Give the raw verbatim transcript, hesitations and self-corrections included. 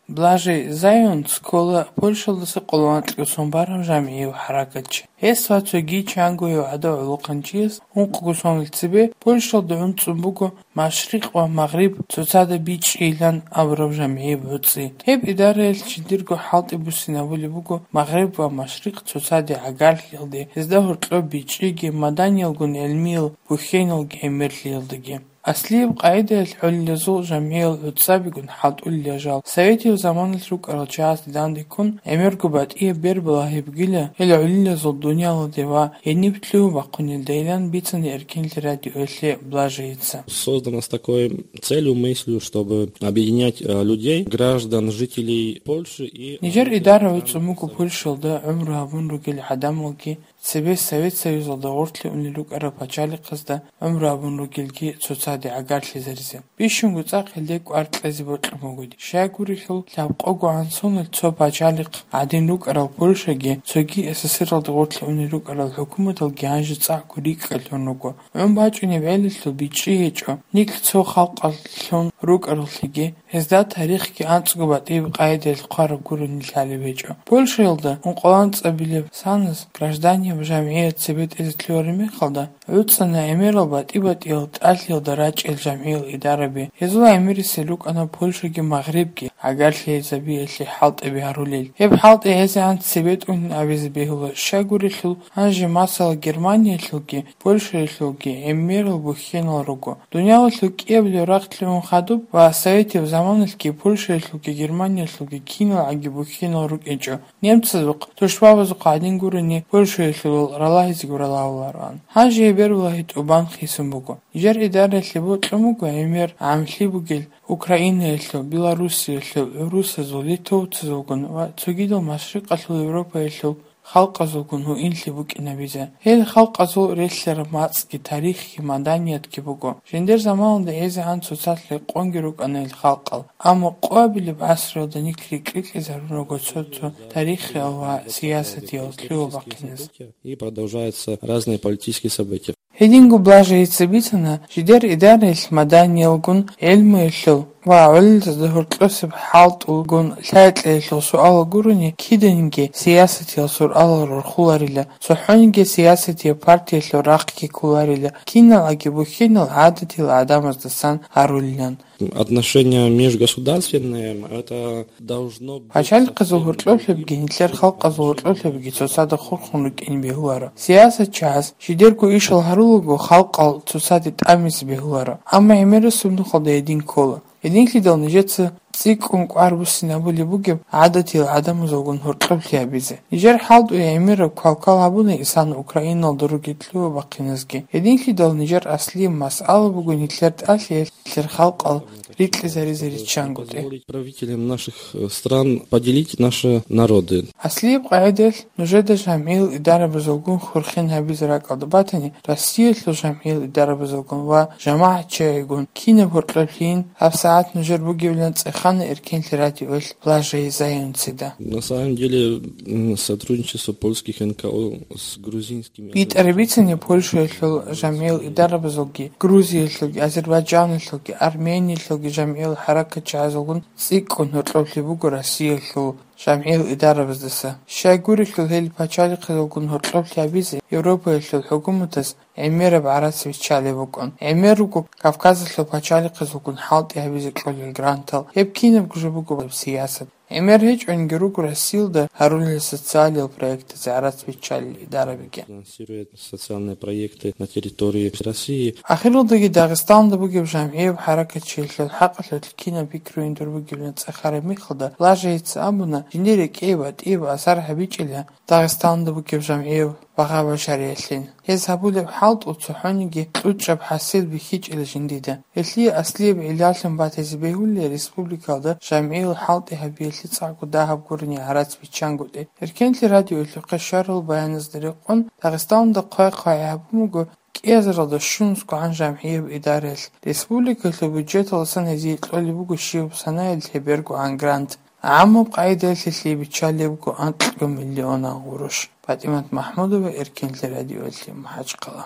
Блажей Зайон ккола Польшалдаса къоло анкьго сон барав жамгӀияв хӀаракатчи. Гьес ва цоги чанго гьев гӀадав гӀолохъанчияс ункъго сонал цебе Польшалда гӀуцӀун буго Машрикъ ва Магъриб цоцазда бичӀчӀейилан абураб жамгӀияб гӀуцӀи. Гьеб идараялъ жиндирго хӀалтӀи буссинабулеб буго Магъриб ва Машрикъ цоцазде гӀагарлъиялде, гьезда гьоркьоб бичӀчӀиги, маданиялгун гӀелмиял бухьеналги гӀемерлъиялдаги. Аслияб къагӀидаялъ гӀолилазул жамгӀиял гӀуцӀабигун хӀалтӀулел жал Советияв заманалъ рукӀарал чагӀазда данде ккун, гӀемерго батӀияб бербалагьи бугила гьел гӀолилазул дуниялалде ва гьениб лъугьа-бахъунелдайилан бицана Эркенлъи радиоялъе Блажейица. Создана с такой целью, мыслью, чтобы объединять, э, людей, граждан, жителей Польши и, э, Нижер идара гӀуцӀун буго Польшалда гӀумру гьабун ругел гӀадамалги, цебе Совет Союзалда гъорлъе унел рукӀарал пачалихъазда гӀумру гьабун ругелги цоцазде гӀагарлъизаризе. Бищунго цӀакъ гьелде кӀвар кьезе бокьун бугоди. Щайгурелъул, лъабкъого гӀан сонал цо пачалихъ гӀадин рукӀарал Польшаги, цоги СССРалда гъорлъе унел рукӀарал хӀукуматалги гьанже цӀакъго рикӀкӀалъун руго. ГӀун бачӀунеб гӀелалъул бичӀчӀи гьечӀо, нилъ цо халкъалъун рукӀараллъиги, гьезда тарихги анцӀго батӀияб къагӀидаялъ хъвараб гурони лъалеб гьечӀо. Польшаялда ункъоялда анцӀабилеб санас гражданияб жамгӀият цебетӀезе лъугьараб мехалда, гӀуцӀана гӀемерал батӀи-батӀиял тӀалъиялда рачӀел жамгӀиял идараби. Гьезул гӀемерисел рукӀана Польшаги Магърибги гӀагарлъиязабиялъе хӀалтӀаби гьарулел. Гьеб хӀалтӀи гьезегӀан цебетӀун абизе бегьула, щайгурелъул, гьанже, масала, Германиялъулги Польшаялъулги гӀемерал бухьенал руго. Дуниялалъул кӀиабилеб рахъ лъугӀун хадуб ва Советияв заманалъги Польшаялъулги Германиялъулги киналгӀаги бухьенал рукӀинчӀо. Немцазухъ, тушбабазухъ гӀадин гурони, Польшаялъулал ралагьизе гуралавулароан. Гьанже гьеб бербалагьи тӀубан хисун буго. Нижер идараялъе бокьун буго гӀемер гӀамлъи бугел Украинаялъул, Белоруссиялъул, гӀурусазул, литовцазулгун ва цогидал Машрикъалъул Европаялъул халкъазулгун гьуинлъи букӀинабизе. Гьел халкъазул релълъараб мацӀги, тарихги, маданиятги буго. Жиндир заманалда гьезегӀан цоцалъ рекъонги рукӀана гьел халкъал, амма къоабилеб гӀасруялда нилъ рикӀкӀинарун руго цо-цо тарихиял ва сиясатиял лъугьа бахъиназ. И продолжаются разные политические события. Гьединго Блажейица бицана, жидер идараялъ маданиялгун, гӀелмуялъул ва гӀолилазда гьоркьосеб хӀалтӀулгун лъай-кьеялъул суалал гурони, киданиги сиясатиял суалал рорхуларила, цохӀониги сиясатияб партиялъул рахъги кколарила, киналгӀаги бухьенал гӀадатиял гӀадамаздасан гьарулилан. Отношения межгосударственные, это должно быть... Пачалихъазул гьоркьоблъиябги нилъер халкъазул гьоркьоблъиябги цоцазда хурхун рукӀин бегьуларо. Сиясатчияс жидерго ишал гьарулаго, халкъал цоцаде тӀамизе бегьуларо. Амма гӀемерисеб нухалда гьедин ккола. Гьединлъидал нижеца цӀикӀкӀун кӀвар буссинабулеб бугеб гӀадатиял гӀадамазулгун гьоркьоблъи гьабизе. Нижер хӀалтӀуе гӀемераб квалквал гьабуна Исана Украиналда ругел лъугьа-бахъиназги. Гьединлъидал нижер аслияб масъала буго нилъер тӀалъиялъ нилъер халкъал рикьизаризе риччангутӀи. Позволить правителям наших, э, стран поделить наши народы. Аслияб къагӀидаялъ нужеда жамгӀиял идарабазулгун хурхен гьабизе ракӀалда батани, Россиялъул жамгӀиял идарабазулгун ва жамагӀатчагӀигун кинаб гьоркьоблъийин гьабсагӀат нужер бугебилан цӀехана Эркенлъи радиоялъ Блажей Зайонцида. На самом деле, м, сотрудничество польских НКО с грузинскими... БитӀараб бицани Польшаялъул жамгӀиял идарабазулги, Грузиялъулги, Азербайджаналъулги, Армениялъулги жамгӀиял хӀаракатчагӀазулгун цӀикӀкӀун гьоркьоблъи буго Россиялъул жамгӀиял идарабаздаса. Щайгурелъул гьел пачалихъазулгун гьоркьоблъи гьабизе Европаялъул хӀукуматаз гӀемераб гӀарац биччалеб букӀун. ГӀемер руго Кавказалъул пачалихъазулгун хӀалтӀи гьабизе кьолел грантал. Гьеб кинабго жо буго сиясат. ГӀемер гьечӀониги руго Россиялда гьарулел социалиял проектазе гӀарац биччалел идарабиги. Финансирует социальные проекты на территории России. Ахиралдаги Дагъистаналда бугеб жамгӀияб хӀаракатчиялъул хӀакъалъулъ кинаб пикругӀин дур бугебилан цӀехараб мехалда, Блажейица абуна, жиндир рекӀее батӀияб асар гьабичӀила Дагъистаналда бугеб жамгӀиял багъа-бажариялъе. Гьез гьабулеб хӀалтӀу цохӀониги кьучӀаб хӀасил бихьичӀила жиндида. Гьелъие аслияб гӀиллалъун батизе бегьулеб республикалда жамгӀиял хӀалтӀи гьабиялъе цӀакъго дагьаб гурони гӀарац биччангутӀи. Эркенлъи радиоялъухъе щварал баяназда рекъон, Дагъистаналда хъвай-хъвай гьабун буго кӀиазаралда щунусгогӀан жамгӀияб идараялъ. Республикалъул бюджеталдасан гьезие кьолеб буго щибаб санаялъ гьебергогӀан грант. ГӀаммаб къагӀидаялъ гьелъие биччалеб буго анкьго миллионан гъурущ. ПатӀимат МахӀмудова, Эркенлъи радиоялъе, МахӀачхъала.